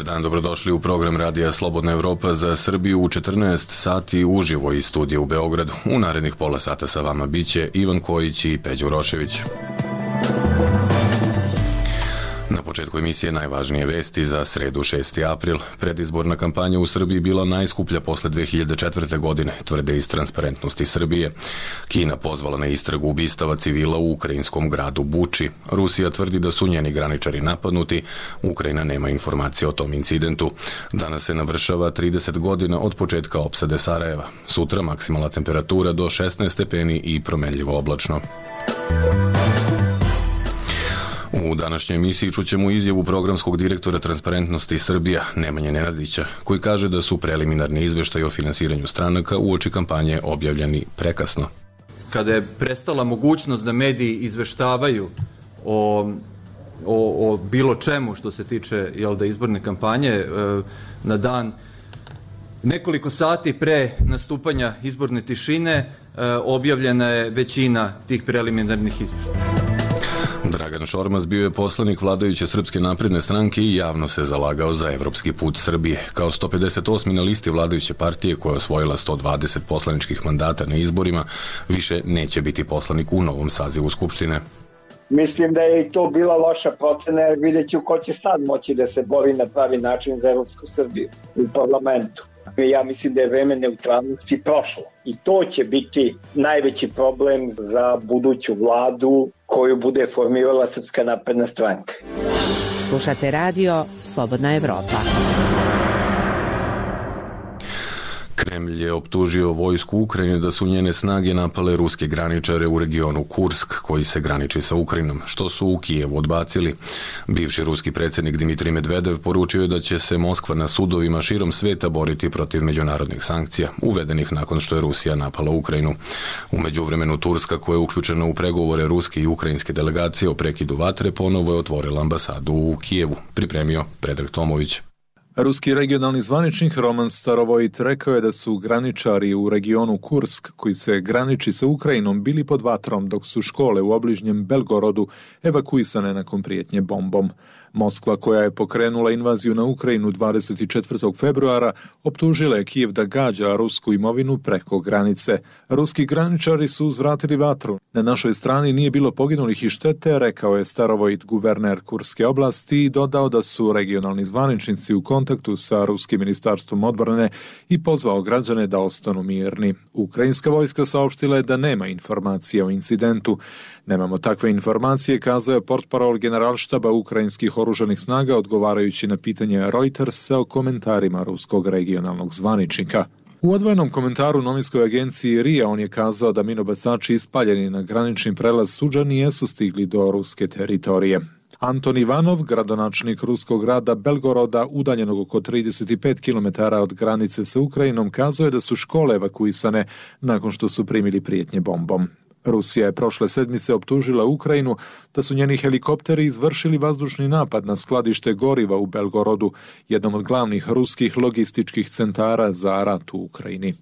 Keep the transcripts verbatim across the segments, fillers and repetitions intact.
Dobar dan, dobrodošli u program Radija Slobodna Evropa za Srbiju u četrnaest sati uživo iz studija u Beogradu. U narednih pola sata sa vama biće Ivan Kojić i Peđa Urošević. Na početku emisije najvažnije vesti za sredu šesti april. Predizborna kampanja u Srbiji bila najskuplja posle dve hiljade četvrte. godine, tvrde iz Transparentnosti Srbije. Kina pozvala na istragu ubistava civila u ukrajinskom gradu Buči. Rusija tvrdi da su njeni graničari napadnuti. Ukrajina nema informacije o tom incidentu. Danas se navršava trideset godina od početka opsade Sarajeva. Sutra maksimalna temperatura do šesnaest stepeni i promenljivo oblačno. U današnjoj emisiji čućemo izjavu programskog direktora Transparentnosti Srbija, Nemanje Nenadića, koji kaže da su preliminarni izveštaji o finansiranju stranaka uoči kampanje objavljeni prekasno. Kada je prestala mogućnost da mediji izveštavaju o, o, o bilo čemu što se tiče jel da, izborne kampanje, na dan nekoliko sati pre nastupanja izborne tišine objavljena je većina tih preliminarnih izveštaja. Dragan Šormaz bio je poslanik vladajuće Srpske napredne stranke i javno se zalagao za evropski put Srbije. Kao sto pedeset osmi na listi vladajuće partije koja je osvojila sto dvadeset poslaničkih mandata na izborima, više neće biti poslanik u novom sazivu Skupštine. Mislim da je i to bila loša procena, jer vidjet ću ko će sad moći da se bori na pravi način za Evropsku Srbiju u parlamentu. Ja mislim da je vreme neutralnosti prošlo i to će biti najveći problem za buduću vladu koju bude formirala Srpska napredna stranka. Slušate radio Slobodna Evropa. Kremlj je optužio vojsku Ukrajine da su njene snage napale ruske graničare u regionu Kursk, koji se graniči sa Ukrajinom, što su u Kijevu odbacili. Bivši ruski predsjednik Dimitrij Medvedev poručio je da će se Moskva na sudovima širom sveta boriti protiv međunarodnih sankcija, uvedenih nakon što je Rusija napala Ukrajinu. U međuvremenu Turska, koja je uključena u pregovore ruske i ukrajinske delegacije o prekidu vatre, ponovo je otvorila ambasadu u Kijevu, pripremio Predrag Tomović. Ruski regionalni zvaničnik Roman Starovojt rekao je da su graničari u regionu Kursk, koji se graniči sa Ukrajinom, bili pod vatrom dok su škole u obližnjem Belgorodu evakuisane nakon prijetnje bombom. Moskva, koja je pokrenula invaziju na Ukrajinu dvadeset četvrtog februara, optužila je Kijev da gađa rusku imovinu preko granice. Ruski graničari su uzvratili vatru. Na našoj strani nije bilo poginulih i štete, rekao je Starovojt, guverner Kurske oblasti, i dodao da su regionalni zvaničnici u kontaktu sa ruskim ministarstvom odbrane i pozvao građane da ostanu mirni. Ukrajinska vojska saopštila je da nema informacije o incidentu. Nemamo takve informacije, kazao je portparol generalštaba ukrajinskih oružanih snaga odgovarajući na pitanje Reutersa o komentarima ruskog regionalnog zvaničnika. U odvojenom komentaru novinskoj agenciji R I A on je kazao da minobacači ispaljeni na granični prelaz Suđa nijesu stigli do ruske teritorije. Anton Ivanov, gradonačelnik ruskog grada Belgoroda, udaljenog oko trideset pet kilometara od granice sa Ukrajinom, kazao je da su škole evakuisane nakon što su primili prijetnje bombom. Rusija je prošle sedmice optužila Ukrajinu da su njeni helikopteri izvršili vazdušni napad na skladište goriva u Belgorodu, jednom od glavnih ruskih logističkih centara za rat u Ukrajini.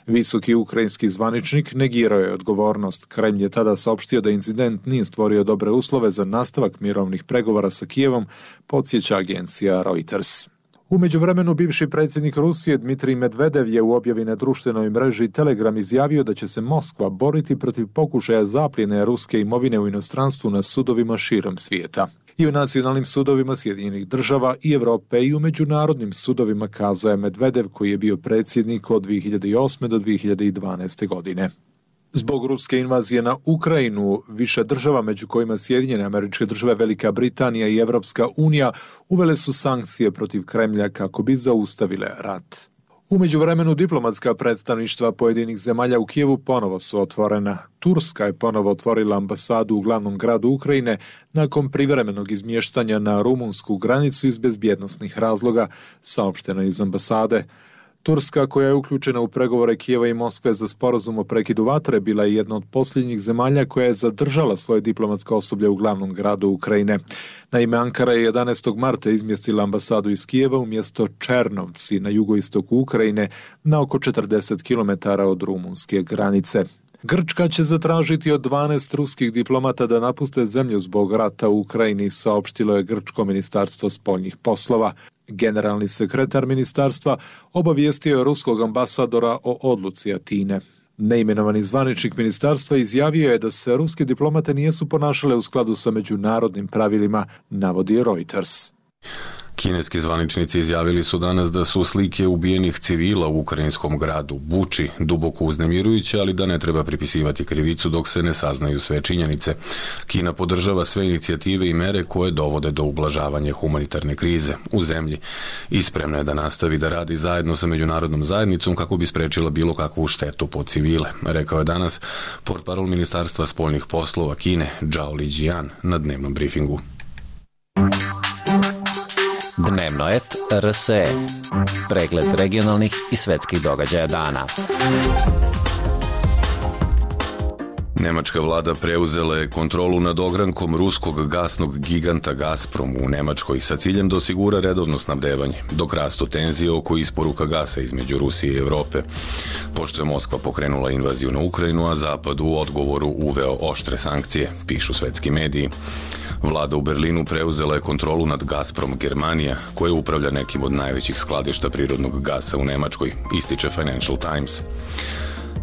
Visoki ukrajinski zvaničnik negirao je odgovornost. Kremlj je tada saopštio da incident nije stvorio dobre uslove za nastavak mirovnih pregovora sa Kijevom, podsjeća agencija Reuters. U međuvremenu bivši predsjednik Rusije Dmitrij Medvedev je u objavi na društvenoj mreži Telegram izjavio da će se Moskva boriti protiv pokušaja zapljene ruske imovine u inostranstvu na sudovima širom svijeta. I u nacionalnim sudovima Sjedinjenih država i Evrope i u međunarodnim sudovima, kazao je Medvedev, koji je bio predsjednik od dvije hiljade osme do dvije hiljade dvanaeste. godine. Zbog ruske invazije na Ukrajinu, više država, među kojima Sjedinjene Američke Države, Velika Britanija i Evropska unija, uvele su sankcije protiv Kremlja kako bi zaustavile rat. U međuvremenu diplomatska predstavništva pojedinih zemalja u Kijevu ponovo su otvorena. Turska je ponovo otvorila ambasadu u glavnom gradu Ukrajine nakon privremenog izmještanja na rumunsku granicu iz bezbjednosnih razloga, saopšteno iz ambasade. Turska, koja je uključena u pregovore Kijeva i Moskve za sporazum o prekidu vatre, bila je jedna od posljednjih zemalja koja je zadržala svoje diplomatsko osoblje u glavnom gradu Ukrajine. Naime, Ankara je jedanaestog marta izmjestila ambasadu iz Kijeva u mjesto Černovci na jugoistoku Ukrajine na oko četrdeset kilometara od rumunske granice. Grčka će zatražiti od dvanaest ruskih diplomata da napuste zemlju zbog rata u Ukrajini, saopštilo je grčko ministarstvo spoljnih poslova. Generalni sekretar ministarstva obavijestio je ruskog ambasadora o odluci Atine. Neimenovani zvaničnik ministarstva izjavio je da se ruske diplomate nisu ponašale u skladu sa međunarodnim pravilima, navodi Reuters. Kineski zvaničnici izjavili su danas da su slike ubijenih civila u ukrajinskom gradu Buči duboko uznemirujuće, ali da ne treba pripisivati krivicu dok se ne saznaju sve činjenice. Kina podržava sve inicijative i mere koje dovode do ublažavanja humanitarne krize u zemlji i spremna je da nastavi da radi zajedno sa međunarodnom zajednicom kako bi sprečila bilo kakvu štetu po civile, rekao je danas portparol Ministarstva spoljnih poslova Kine Zhao Lijian na dnevnom brifingu. Dnevno et R S E. Pregled regionalnih i svetskih događaja dana. Nemačka vlada preuzela je kontrolu nad ogrankom ruskog gasnog giganta Gazprom u Nemačkoj sa ciljem da osigura redovno snabdevanje, dok rastu tenzije oko isporuka gasa između Rusije i Evrope. Pošto je Moskva pokrenula invaziju na Ukrajinu, a Zapad u odgovoru uveo oštre sankcije, pišu svetski mediji. Vlada u Berlinu preuzela je kontrolu nad Gazprom Germanija, koja upravlja nekim od najvećih skladišta prirodnog gasa u Nemačkoj, ističe Financial Times.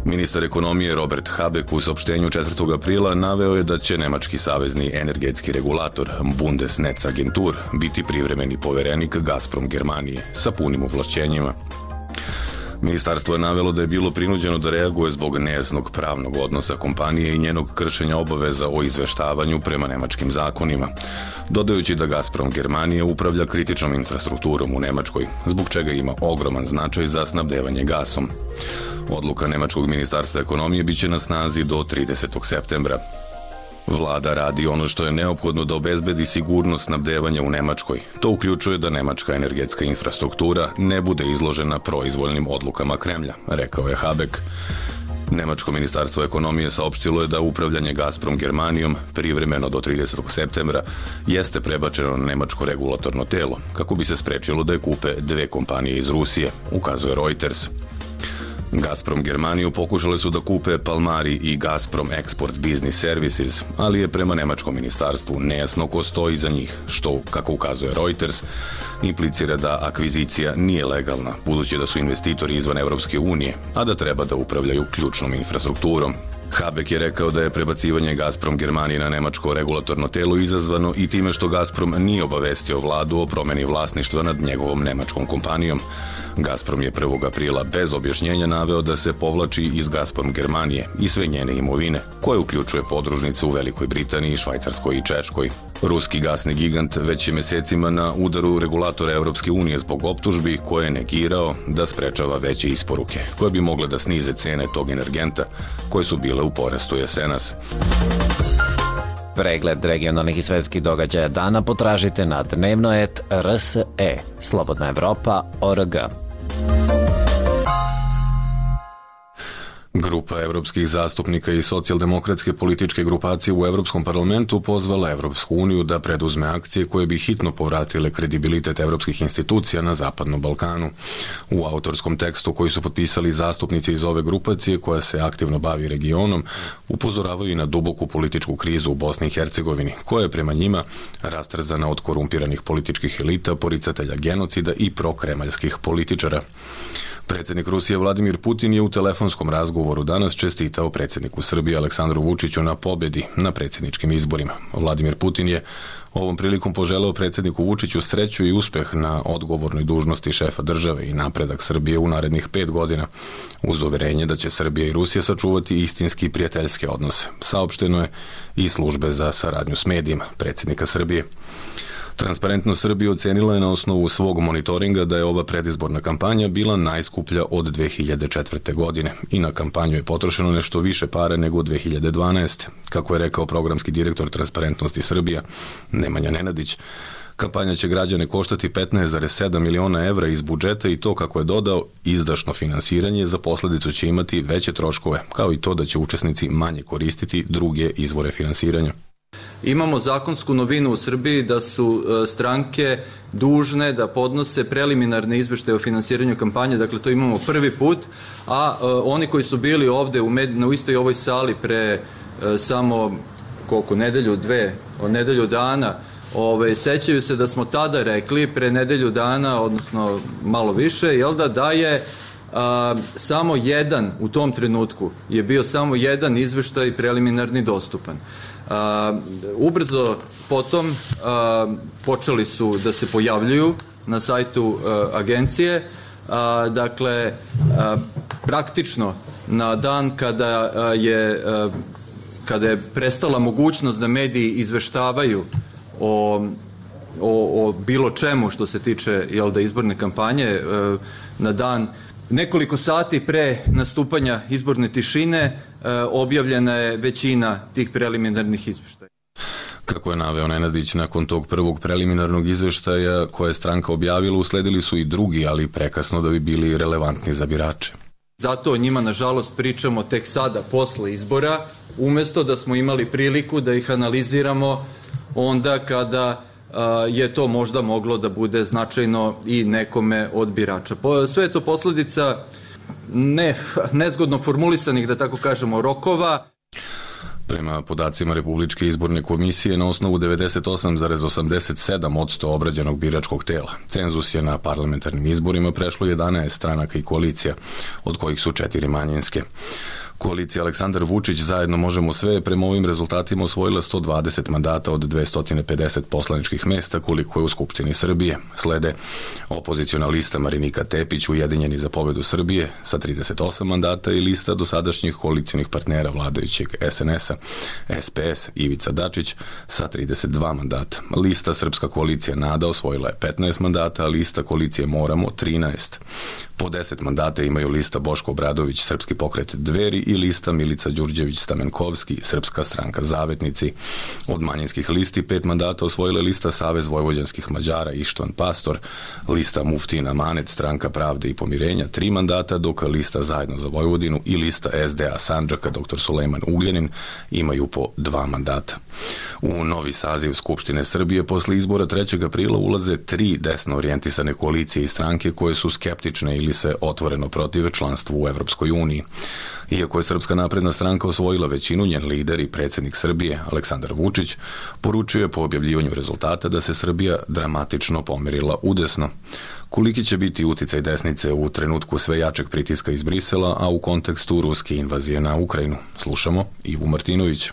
Ministar ekonomije Robert Habeck u saopštenju četvrtog aprila naveo je da će nemački savezni energetski regulator Bundesnetzagentur biti privremeni poverenik Gazprom Germanije sa punim ovlašćenjima. Ministarstvo je navelo da je bilo prinuđeno da reaguje zbog nejasnog pravnog odnosa kompanije i njenog kršenja obaveza o izveštavanju prema nemačkim zakonima, dodajući da Gazprom Germanije upravlja kritičnom infrastrukturom u Nemačkoj, zbog čega ima ogroman značaj za snabdevanje gasom. Odluka Nemačkog ministarstva ekonomije biće na snazi do tridesetog septembra. Vlada radi ono što je neophodno da obezbedi sigurnost snabdevanja u Nemačkoj. To uključuje da nemačka energetska infrastruktura ne bude izložena proizvoljnim odlukama Kremlja, rekao je Habeck. Nemačko ministarstvo ekonomije saopštilo je da upravljanje Gazprom Germanijom privremeno do tridesetog septembra jeste prebačeno na nemačko regulatorno telo, kako bi se sprečilo da je kupe dve kompanije iz Rusije, ukazuje Reuters. Gazprom Germaniju pokušali su da kupe Palmari i Gazprom Export Business Services, ali je prema nemačkom ministarstvu nejasno ko stoji za njih, što, kako ukazuje Reuters, implicira da akvizicija nije legalna, budući da su investitori izvan Evropske unije, a da treba da upravljaju ključnom infrastrukturom. Habeck je rekao da je prebacivanje Gazprom Germanije na nemačko regulatorno telo izazvano i time što Gazprom nije obavestio vladu o promeni vlasništva nad njegovom nemačkom kompanijom. Gazprom je prvog aprila bez objašnjenja naveo da se povlači iz Gazprom Germanije i sve njene imovine, koje uključuje podružnice u Velikoj Britaniji, Švajcarskoj i Češkoj. Ruski gasni gigant već je mesecima na udaru regulatora Evropske unije zbog optužbi koje je negirao da sprečava veće isporuke, koje bi mogle da snize cene tog energenta, koje su bile u porastu jesenas. Pregled regionalnih i svetskih događaja dana potražite na dnevno et R S E, Slobodna Evropa, O R G. Grupa evropskih zastupnika i socijaldemokratske političke grupacije u Evropskom parlamentu pozvala Evropsku uniju da preduzme akcije koje bi hitno povratile kredibilitet evropskih institucija na Zapadnom Balkanu. U autorskom tekstu koji su potpisali zastupnici iz ove grupacije koja se aktivno bavi regionom, upozoravaju i na duboku političku krizu u Bosni i Hercegovini, koja je prema njima rastrzana od korumpiranih političkih elita, poricatelja genocida i prokremaljskih političara. Predsjednik Rusije Vladimir Putin je u telefonskom razgovoru danas čestitao predsjedniku Srbije Aleksandru Vučiću na pobjedi na predsjedničkim izborima. Vladimir Putin je ovom prilikom poželeo predsjedniku Vučiću sreću i uspeh na odgovornoj dužnosti šefa države i napredak Srbije u narednih pet godina, uz uverenje da će Srbija i Rusija sačuvati istinski prijateljske odnose. Saopšteno je i službe za saradnju s medijima predsjednika Srbije. Transparentnost Srbije ocenila je na osnovu svog monitoringa da je ova predizborna kampanja bila najskuplja od dve hiljade četvrte. godine i na kampanju je potrošeno nešto više pare nego od dve hiljade dvanaeste. Kako je rekao programski direktor Transparentnosti Srbija Nemanja Nenadić, kampanja će građane koštati petnaest zarez sedam miliona evra iz budžeta i to, kako je dodao, izdašno finansiranje za posledicu će imati veće troškove, kao i to da će učesnici manje koristiti druge izvore finansiranja. Imamo zakonsku novinu u Srbiji da su stranke dužne da podnose preliminarne izveštaje o finansiranju kampanje, dakle to imamo prvi put, a oni koji su bili ovde u, med, u istoj ovoj sali pre samo koliko, nedelju, dve, od nedelju dana ove, sećaju se da smo tada rekli pre nedelju dana, odnosno malo više, jel da, da je a, samo jedan, u tom trenutku je bio samo jedan izveštaj preliminarni dostupan. A, ubrzo potom a, počeli su da se pojavljuju na sajtu a, agencije, a, dakle, a, praktično na dan kada a, je a, kada je prestala mogućnost da mediji izveštavaju o, o, o bilo čemu što se tiče, jel da, izborne kampanje, e, na dan nekoliko sati pre nastupanja izborne tišine e, objavljena je većina tih preliminarnih izveštaja. Kako je naveo Nenadić, nakon tog prvog preliminarnog izveštaja koje je stranka objavila, usledili su i drugi, ali prekasno da bi bili relevantni za birače. Zato o njima, nažalost, pričamo tek sada, posle izbora, umesto da smo imali priliku da ih analiziramo onda kada a, je to možda moglo da bude značajno i nekome od birača. Po, sve je to posledica ne, nezgodno formulisanih, da tako kažemo, rokova. Prema podacima Republičke izborne komisije, na osnovu devedeset osam zarez osamdeset sedam posto obrađenog biračkog tela, cenzus je na parlamentarnim izborima prešlo jedanaest stranaka i koalicija, od kojih su četiri manjinske. Koalicija Aleksandar Vučić zajedno možemo sve prema ovim rezultatima osvojila sto dvadeset mandata od dvesta pedeset poslaničkih mesta koliko je u Skupštini Srbije. Slede opoziciona lista Marinika Tepić, Ujedinjeni za pobedu Srbije sa trideset osam mandata i lista dosadašnjih koalicionih partnera vladajućeg es en es a, es pe es, Ivica Dačić sa trideset dva mandata. Lista Srpska koalicija Nada osvojila je petnaest mandata, a lista koalicije Moramo trinaest. Po deset mandata imaju lista Boško Obradović, Srpski pokret Dveri i lista Milica Đurđević-Stamenkovski, Srpska stranka Zavetnici. Od manjinskih listi pet mandata osvojila lista Savez vojvođanskih Mađara Ištvan Pastor, lista Muftin Amanet, Stranka pravde i pomirenja tri mandata, dok lista Zajedno za Vojvodinu i lista es de a Sandžaka doktor Sulejman Ugljanin imaju po dva mandata. U novi saziv Skupštine Srbije posle izbora trećeg aprila ulaze tri desno orijentisane koalicije i stranke koje su skeptične ili se otvoreno protive članstvu u Evropskoj uniji. Iako je Srpska napredna stranka osvojila većinu, njen lider i predsjednik Srbije, Aleksandar Vučić, poručuje po objavljivanju rezultata da se Srbija dramatično pomerila udesno. Koliki će biti uticaj desnice u trenutku sve jačeg pritiska iz Brisela, a u kontekstu ruske invazije na Ukrajinu? Slušamo Ivu Martinović.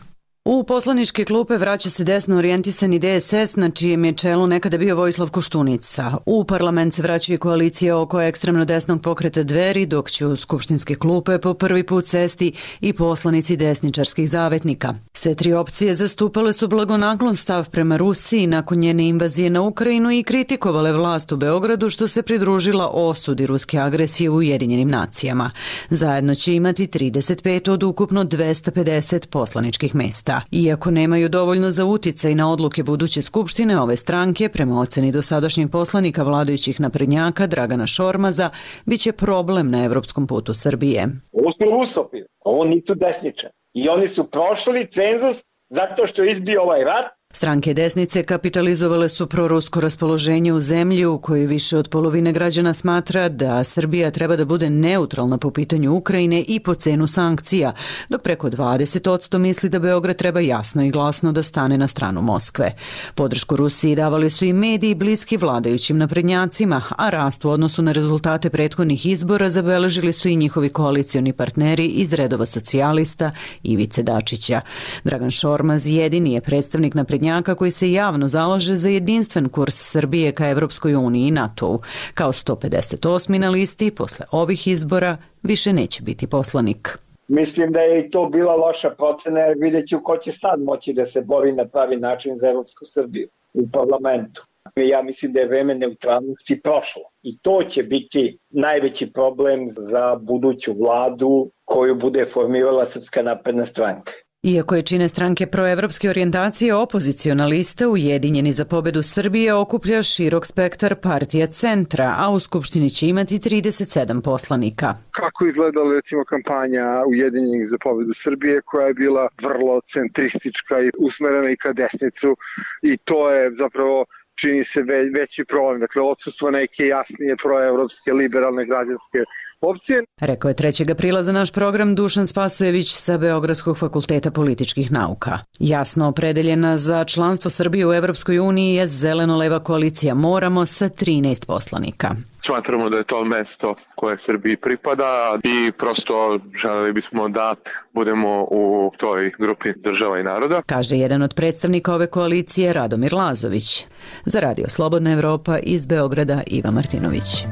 U poslaničke klupe vraća se desno orijentisani de es es, na čijem je čelu nekada bio Vojislav Koštunica. U parlament se vraća i koalicija oko ekstremno desnog pokreta Dveri, dok će u skupštinske klupe po prvi put sesti i poslanici desničarskih zavetnika. Sve tri opcije zastupale su blagonaklon stav prema Rusiji nakon njene invazije na Ukrajinu i kritikovale vlast u Beogradu što se pridružila osudi ruske agresije u Ujedinjenim nacijama. Zajedno će imati trideset pet od ukupno dvesta pedeset poslaničkih mesta. Iako nemaju dovoljno za uticaj na odluke buduće skupštine, ove stranke, prema oceni dosadašnjeg poslanika vladajućih naprednjaka Dragana Šormaza, biće problem na evropskom putu Srbije. Ovo su rusofili, ovo nisu desničari. I oni su prošli cenzus zato što je izbio ovaj rat. Stranke desnice kapitalizovale su prorusko raspoloženje u zemlji u kojoj više od polovine građana smatra da Srbija treba da bude neutralna po pitanju Ukrajine i po cenu sankcija, dok preko dvadeset posto misli da Beograd treba jasno i glasno da stane na stranu Moskve. Podršku Rusiji davali su i mediji bliski vladajućim naprednjacima, a rast u odnosu na rezultate prethodnih izbora zabeležili su i njihovi koalicioni partneri iz redova socijalista Ivice Dačića. Dragan Šormaz jedini je predstavnik naprednjaka koji se javno zalaže za jedinstven kurs Srbije ka Evropskoj uniji i NATO-u. Kao sto pedeset osmi na listi, posle ovih izbora više neće biti poslanik. Mislim da je i to bila loša procena, jer vidjet ću ko će sad moći da se bori na pravi način za Evropsku Srbiju u parlamentu. Ja mislim da je vreme neutralnosti prošlo i to će biti najveći problem za buduću vladu koju bude formirala Srpska napredna stranka. Iako je čine stranke proevropske orijentacije, opoziciona lista Ujedinjeni za pobedu Srbije okuplja širok spektar partija centra, a u Skupštini će imati trideset sedam poslanika. Kako izgledala recimo kampanja Ujedinjenih za pobedu Srbije, koja je bila vrlo centristička i usmerena i ka desnicu, i to je zapravo čini se veći problem. Dakle, odsustvo neke jasnije proevropske, liberalne građanske opcije. Rekao je trećeg aprila za naš program Dušan Spasojević sa Beogradskog fakulteta političkih nauka. Jasno opredeljena za članstvo Srbije u Evropskoj uniji je zeleno-leva koalicija Moramo sa trinaest poslanika. Smatramo da je to mesto koje Srbiji pripada i prosto želeli bismo da budemo u toj grupi država i naroda. Kaže jedan od predstavnika ove koalicije, Radomir Lazović. Za Radio Slobodna Evropa iz Beograda, Iva Martinović.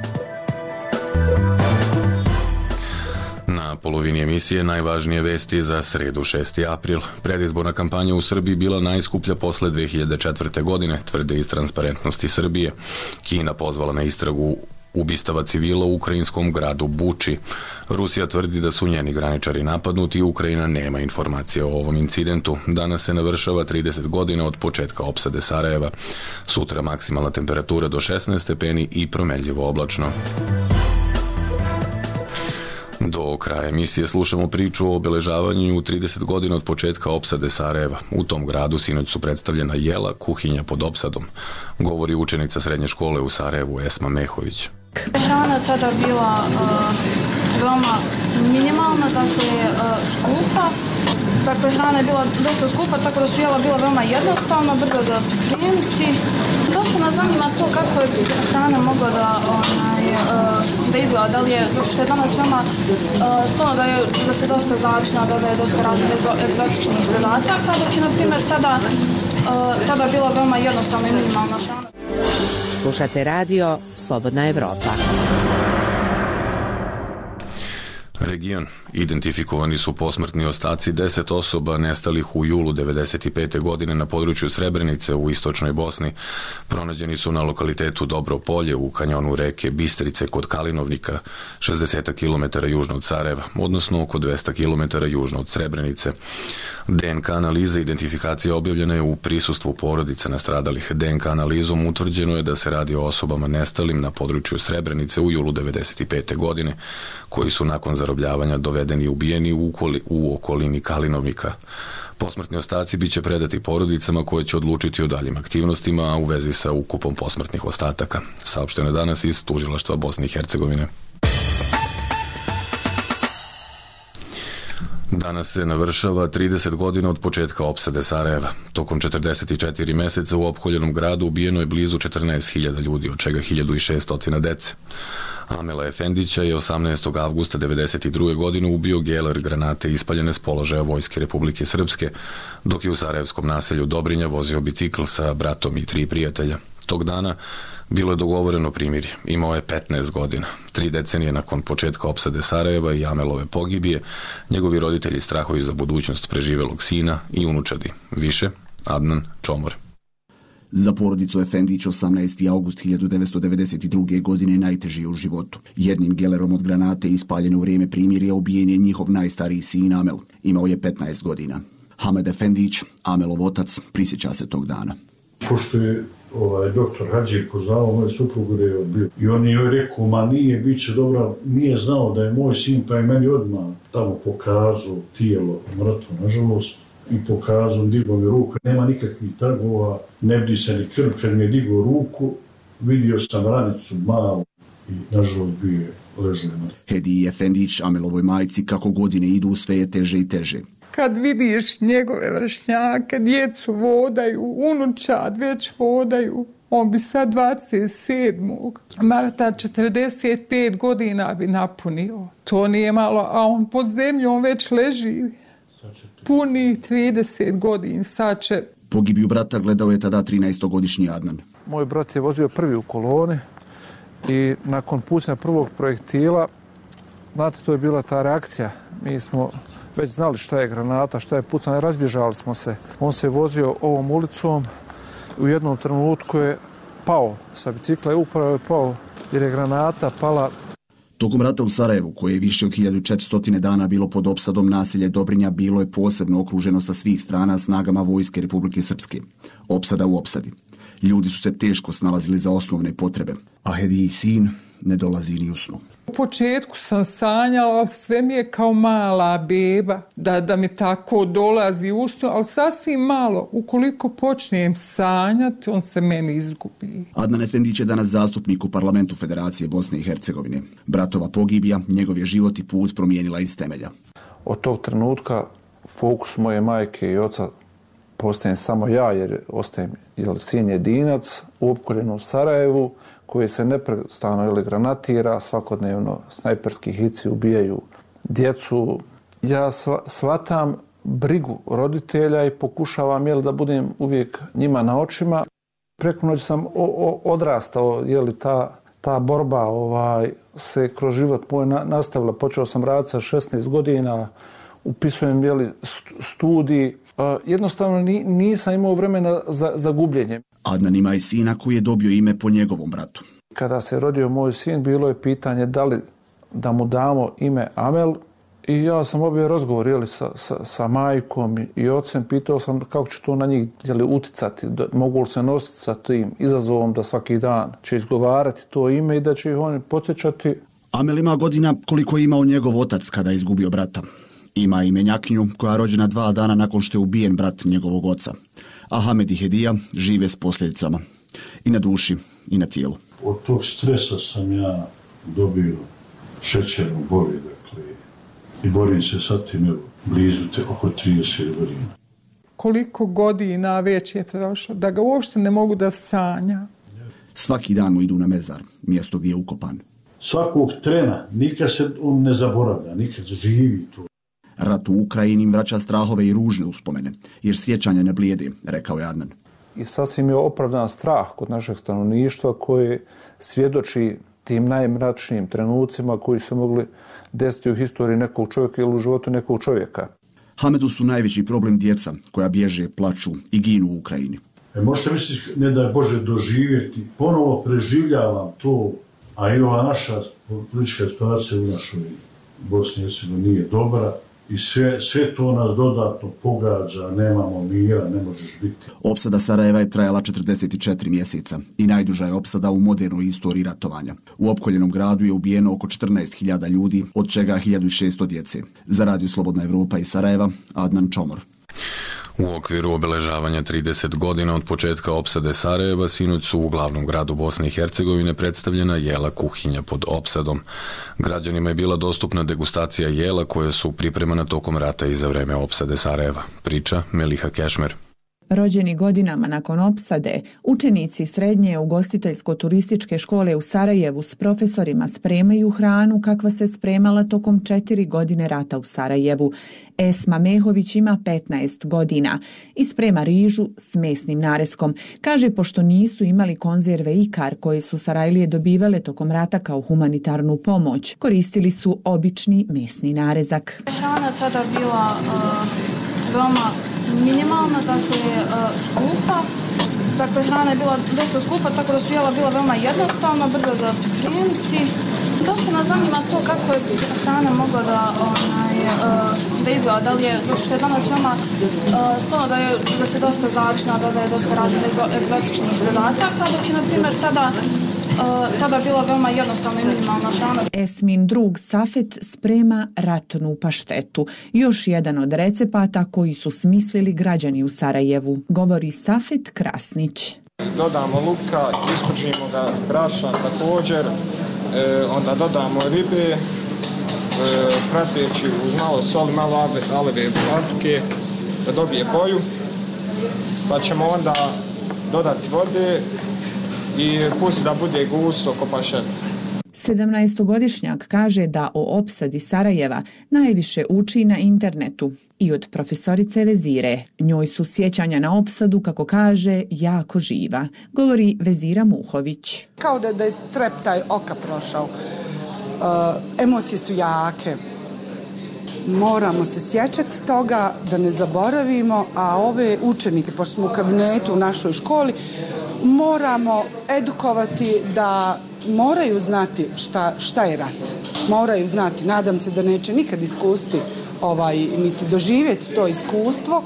Na polovini emisije najvažnije vesti za sredu šesti april. Predizborna kampanja u Srbiji bila najskuplja posle dve hiljade četvrte. godine, tvrde iz Transparentnosti Srbije. Kina pozvala na istragu ubistava civila u ukrajinskom gradu Buči. Rusija tvrdi da su njeni graničari napadnuti i Ukrajina nema informacije o ovom incidentu. Danas se navršava trideset godina od početka opsade Sarajeva. Sutra maksimalna temperatura do šesnaest stepeni i promenljivo oblačno. Do kraja emisije slušamo priču o obeležavanju trideset godina od početka opsade Sarajeva. U tom gradu sinoć su predstavljena jela, kuhinja pod opsadom, govori učenica srednje škole u Sarajevu Esma Mehović. Hrana tada bila uh, veoma minimalna, dakle uh, skupa. Dakle, hrana je bila dosta skupa, tako da su jela bila veoma jednostavna, brzo za pripremiti. Dosta nas zanima to kako je hrana mogla da, onaj, uh, da izgleda, da li je, zato što je danas veoma uh, stvarno da, je, da se dosta začina, da je dosta raznih egzotičnih dodataka, dok je, na primjer, sada uh, tada bila veoma jednostavna i minimalna hrana. Slušate radio Slobodna Evropa. Region. Identifikovani su posmrtni ostaci deset osoba nestalih u julu devedeset pete. godine na području Srebrenice u istočnoj Bosni. Pronađeni su na lokalitetu Dobro polje u kanjonu reke Bistrice kod Kalinovnika, šezdeset kilometara južno od Sarajeva, odnosno oko dvesta kilometara južno od Srebrenice. D N K analiza identifikacija objavljena je u prisustvu porodica nastradalih. D N K analizom utvrđeno je da se radi o osobama nestalim na području Srebrenice u julu devedeset pete. godine, koji su nakon zarobljavanja dovedeni i ubijeni u, okoli, u okolini Kalinovnika. Posmrtni ostaci biće predati porodicama koje će odlučiti o daljim aktivnostima, a u vezi sa ukupom posmrtnih ostataka. Saopšteno je danas iz Tužilaštva Bosne i Hercegovine. Danas se navršava trideset godina od početka opsade Sarajeva. Tokom četrdeset četiri meseca u opkoljenom gradu ubijeno je blizu četrnaest hiljada ljudi, od čega hiljadu šessto dece. Amela Efendića je osamnaestog avgusta devedeset druge. godine ubio geler granate ispaljene s položaja Vojske Republike Srpske, dok je u sarajevskom naselju Dobrinja vozio bicikl sa bratom i tri prijatelja. Tog dana bilo je dogovoreno primirje. Imao je petnaest godina. Tri decenije nakon početka opsade Sarajeva i Amelove pogibije, njegovi roditelji strahuju za budućnost preživelog sina i unučadi. Više, Adnan Čomor. Za porodicu Efendić osamnaesti avgust hiljadu devetsto devedeset druge. godine najteži je u životu. Jednim gelerom od granate ispaljeno u vrijeme primirja ubijen je njihov najstariji sin Amel. Imao je petnaest godina. Hamed Efendić, Amelov otac, prisjeća se tog dana. Pošto je ovaj, doktor Hadži poznao moju suprugu da je odbio. I on je rekao, ma nije, bit će dobro, nije znao da je moj sin, pa je meni odmah tamo pokazao tijelo mrtvo, nažalost. I pokazao, digao mi ruku, nema nikakvih trgova, ne vidi se ni krv. Kad mi je digao ruku, vidio sam ranicu malu i nažalost bio je ležao mrtvo. Hediji Efendić, Amelovoj majci, kako godine idu, sve je teže i teže. Kad vidiš njegove vršnjake, djecu vodaju, unučad već vodaju, on bi sad dvadeset sedmog marta četrdeset pet godina bi napunio. To nije malo, a on pod zemljom već leži. Puni trideset godina, sad će. Pogibiju brata gledao je tada trinaestogodišnji Adnan. Moj brat je vozio prvi u koloni i nakon pucanja prvog projektila, znate, to je bila ta reakcija. Mi smo već znali šta je granata, šta je pucanje, razbježali smo se. On se vozio ovom ulicom, u jednom trenutku je pao sa bicikla i upravo je pao jer je granata pala. Tokom rata u Sarajevu, koje je više od hiljadu četiristo dana bilo pod opsadom, naselje Dobrinja bilo je posebno okruženo sa svih strana snagama Vojske Republike Srpske. Opsada u opsadi. Ljudi su se teško snalazili za osnovne potrebe. A Hediji sin, ne dolazi ni u snu. U početku sam sanjala, sve mi je kao mala beba, da, da mi tako dolazi u snu, ali sasvim malo. Ukoliko počnem sanjati, on se meni izgubi. Adnan Efendić je danas zastupnik u parlamentu Federacije Bosne i Hercegovine. Bratova pogibija, njegov je život i put promijenila iz temelja. Od tog trenutka fokus moje majke i oca postajem samo ja, jer ostajem jel, sin jedinac u opkoljenom Sarajevu, koji se neprestano ili granatira, svakodnevno snajperski hici ubijaju djecu. Ja shvatam brigu roditelja i pokušavam jel, da budem uvijek njima na očima. Preko noći sam o, o, odrastao, jel, ta, ta borba ovaj, se kroz život moj na, nastavila. Počeo sam raditi sa šesnaest godina, upisujem jel, studij. Uh, jednostavno ni, nisam imao vremena za, za gubljenje. Adnan ima i sina koji je dobio ime po njegovom bratu. Kada se rodio moj sin, bilo je pitanje da li da mu damo ime Amel i ja sam obje razgovor jeli, sa, sa, sa majkom i, i ocem, pitao sam kako će to na njih jeli, uticati, da, mogu li se nositi sa tim izazovom da svaki dan će izgovarati to ime i da će ih oni podsjećati. Amel ima godina koliko je imao njegov otac kada je izgubio brata. Ima i menjakinju koja je rođena dva dana nakon što je ubijen brat njegovog oca. A Hamed i Hedija žive s posljedicama. I na duši, i na tijelu. Od tog stresa sam ja dobio šećernu boli, dakle, i borim se sa tim, evo, blizu te oko trideset godina. Koliko godina već je prošlo, da ga uopšte ne mogu da sanja. Svaki dan mu idu na mezar, mjesto gdje je ukopan. Svakog trena, nikad se on ne zaboravlja, nikad živi to. Rat u Ukrajini vraća strahove i ružne uspomene, jer sjećanja ne blijede, rekao je Adnan. I sasvim je opravdan strah kod našeg stanovništva koji svjedoči tim najmračnijim trenucima koji su mogli desiti u historiji nekog čovjeka ili u životu nekog čovjeka. Hamedu su najveći problem djeca koja bježe, plaču i ginu u Ukrajini. E, možete misliti, ne da je Bože doživjeti, ponovo preživljavam to, a i ova naša politička situacija u našoj Bosni i Hercegovini nije dobra. I sve, sve to nas dodatno pogađa, nemamo mira, ne možeš biti. Opsada Sarajeva je trajala četrdeset četiri mjeseca i najduža je opsada u modernoj istoriji ratovanja. U opkoljenom gradu je ubijeno oko četrnaest hiljada ljudi, od čega hiljadu šesto djece. Za Radio Slobodna Evropa iz Sarajeva, Adnan Čomor. U okviru obeležavanja trideset godina od početka opsade Sarajeva sinoć su u glavnom gradu Bosne i Hercegovine predstavljena jela kuhinja pod opsadom. Građanima je bila dostupna degustacija jela koje su pripremana tokom rata i za vreme opsade Sarajeva. Priča Meliha Kešmer. Rođeni godinama nakon opsade, učenici srednje ugostiteljsko-turističke škole u Sarajevu s profesorima spremaju hranu kakva se spremala tokom četiri godine rata u Sarajevu. Esma Mehović ima petnaest godina i sprema rižu s mesnim nareskom. Kaže, pošto nisu imali konzerve ikar koje su Sarajlije dobivale tokom rata kao humanitarnu pomoć, koristili su obični mesni narezak. Hrana tada bila uh, veoma minimalna, dakle uh, skupa. Dakle, hrana je bila dosta skupa, tako da su jela bila veoma jednostavna, brzo za pripremiti. Dosta nas zanima to kako je hrana mogla da, onaj, uh, da izgleda, da li je, zato što je danas veoma uh, stvarno da, je, da se dosta začina, da, da je dosta raznih egzotičnih dodataka, dok je, na primjer, sada Uh, tada bila veoma jednostavna i minimalna hrana. Esmin drug Safet sprema ratnu paštetu, još jedan od recepata koji su smislili građani u Sarajevu, govori Safet Krasnić. Dodamo luka, ispržimo ga brašna također, e, onda dodamo ribe, e, prateći uz malo soli, malo aleve paprike da dobije boju, pa ćemo onda dodati vode i pusti da bude gusto oko pašete. sedamnaestogodišnjak kaže da o opsadi Sarajeva najviše uči na internetu i od profesorice Vezire. Njoj su sjećanja na opsadu, kako kaže, jako živa, govori Vezira Muhović. Kao da, da je treptaj oka prošao. Uh, emocije su jake. Moramo se sjećati toga da ne zaboravimo, a ove učenike, pošto smo u kabinetu u našoj školi, moramo edukovati da moraju znati šta, šta je rat. Moraju znati, nadam se da neće nikad iskusti ovaj, niti doživjeti to iskustvo,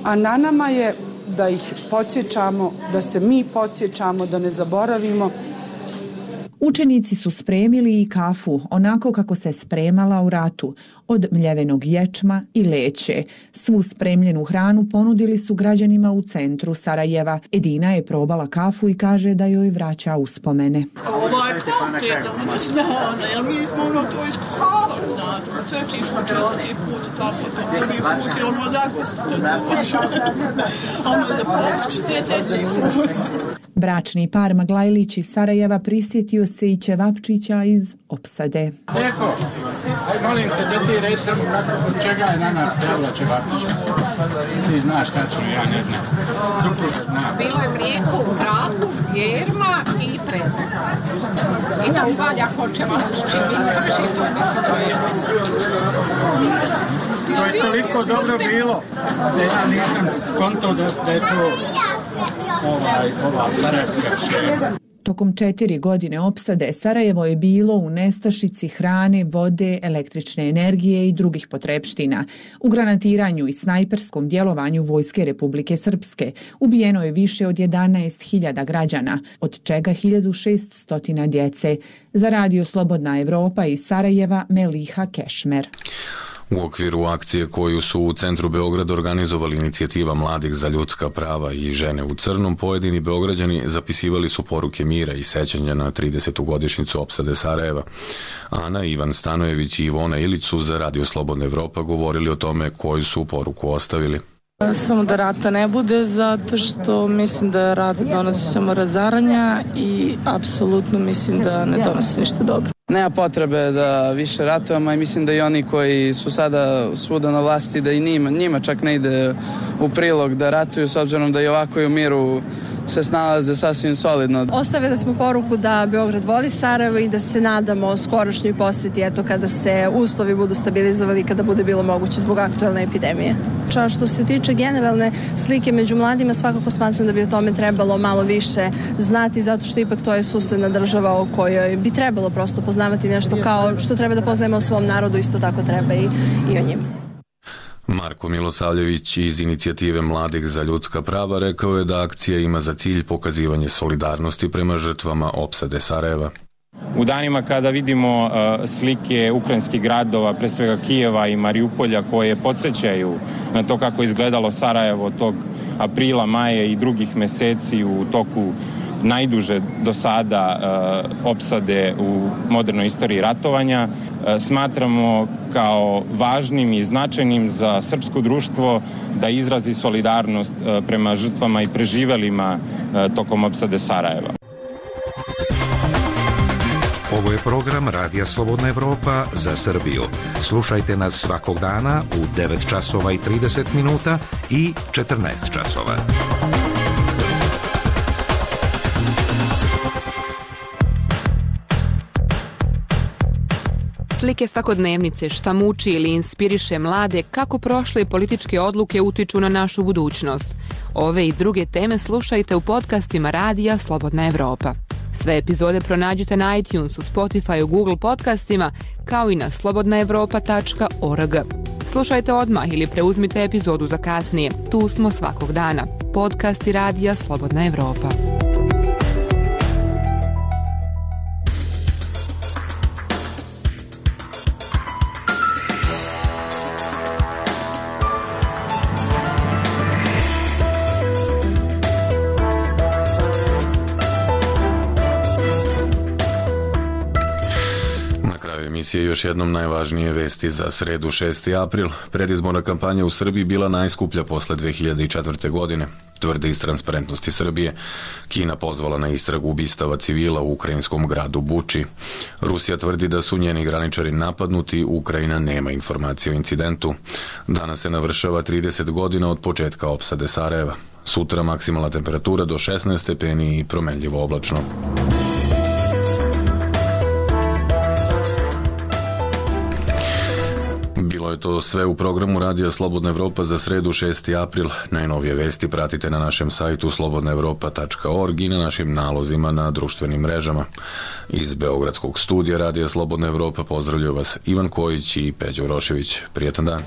a na nama je da ih podsjećamo, da se mi podsjećamo, da ne zaboravimo. Učenici su spremili i kafu onako kako se spremala u ratu, od mljevenog ječma i leće. Svu spremljenu hranu ponudili su građanima u centru Sarajeva. Edina je probala kafu i kaže da joj vraća uspomene. Ovo je kvalitetno, ono znano, jer mi smo ono to iskuhavali, znate, sveći smo četvrti put, tako to prvi put je ono zakusno, ono za popušće treći put. Bračni par Maglajlić iz Sarajeva prisjetio se i ćevapčića iz Opsade. Eko, molim te da ti reći samo kako, od čega je nama pravila ćevapčića. Ti znaš tačno, ja ne znam. Bilo je mlijeko u prahu, jerma i prezak. I tam valja hoćeva čini kaši, to isto dobije. To je toliko dobro bilo da ja nisam kontao da, da je to ovaj, ova sarajevska ševa. Tokom četiri godine opsade Sarajevo je bilo u nestašici hrane, vode, električne energije i drugih potrepština. U granatiranju i snajperskom djelovanju Vojske Republike Srpske ubijeno je više od jedanaest hiljada građana, od čega hiljadu šessto djece. Za Radio Slobodna Evropa iz Sarajeva Meliha Kešmer. U okviru akcije koju su u centru Beograda organizovali inicijativa mladih za ljudska prava i žene u crnom, pojedini Beograđani zapisivali su poruke mira i sećanja na tridesetu godišnjicu opsade Sarajeva. Ana, Ivan Stanojević i Ivona Ilić su za Radio Slobodna Evropa govorili o tome koju su poruku ostavili. Samo da rata ne bude, zato što mislim da rat donosi samo razaranja i apsolutno mislim da ne donosi ništa dobro. Nema potrebe da više ratujemo i mislim da i oni koji su sada svuda na vlasti, da i njima, njima čak ne ide u prilog da ratuju, s obzirom da i ovako i u miru se snalaze sasvim solidno. Ostavili smo poruku da Beograd voli Sarajevo i da se nadamo skorašnjoj posjeti, eto kada se uslovi budu stabilizovali i kada bude bilo moguće zbog aktualne epidemije. Ča što se tiče generalne slike među mladima, svakako smatram da bi o tome trebalo malo više znati, zato što ipak to je susedna država o kojoj bi trebalo prosto poznavati nešto kao što treba da poznajemo o svom narodu, isto tako treba i, i o njima. Marko Milosavljević iz inicijative Mladih za ljudska prava rekao je da akcija ima za cilj pokazivanje solidarnosti prema žrtvama opsade Sarajeva. U danima kada vidimo uh, slike ukrajinskih gradova, pre svega Kijeva i Mariupolja, koje podsjećaju na to kako je izgledalo Sarajevo tog aprila, maja i drugih meseci u toku najduže do sada uh, opsade u modernoj istoriji ratovanja, uh, smatramo kao važnim i značajnim za srpsko društvo da izrazi solidarnost uh, prema žrtvama i preživelima uh, tokom opsade Sarajeva. Ovo je program Radija Slobodna Evropa za Srbiju. Slušajte nas svakog dana u devet časova i trideset minuta i četrnaest časova. Slike svakodnevnice, šta muči ili inspiriše mlade, kako prošle političke odluke utiču na našu budućnost. Ove i druge teme slušajte u podcastima Radija Slobodna Evropa. Sve epizode pronađite na iTunesu, Spotifyu, Google podcastima, kao i na slobodna evropa tačka org. Slušajte odmah ili preuzmite epizodu za kasnije. Tu smo svakog dana. Podcasti Radija Slobodna Evropa. emisije još jednom najvažnije vesti za sredu šesti april. Predizborna kampanja u Srbiji bila najskuplja posle dve hiljade četvrte. godine. Tvrde iz Transparentnosti Srbije. Kina pozvala na istragu ubistava civila u ukrajinskom gradu Buči. Rusija tvrdi da su njeni graničari napadnuti, Ukrajina nema informacije o incidentu. Danas se navršava trideset godina od početka opsade Sarajeva. Sutra maksimalna temperatura do šesnaest stepeni i promenljivo oblačno. Bilo je to sve u programu Radija Slobodna Evropa za sredu šesti april. Najnovije vesti pratite na našem sajtu slobodna evropa tačka org i na našim nalozima na društvenim mrežama. Iz Beogradskog studija Radija Slobodna Evropa pozdravljaju vas Ivan Kojić i Peđa Urošević. Prijetan dan.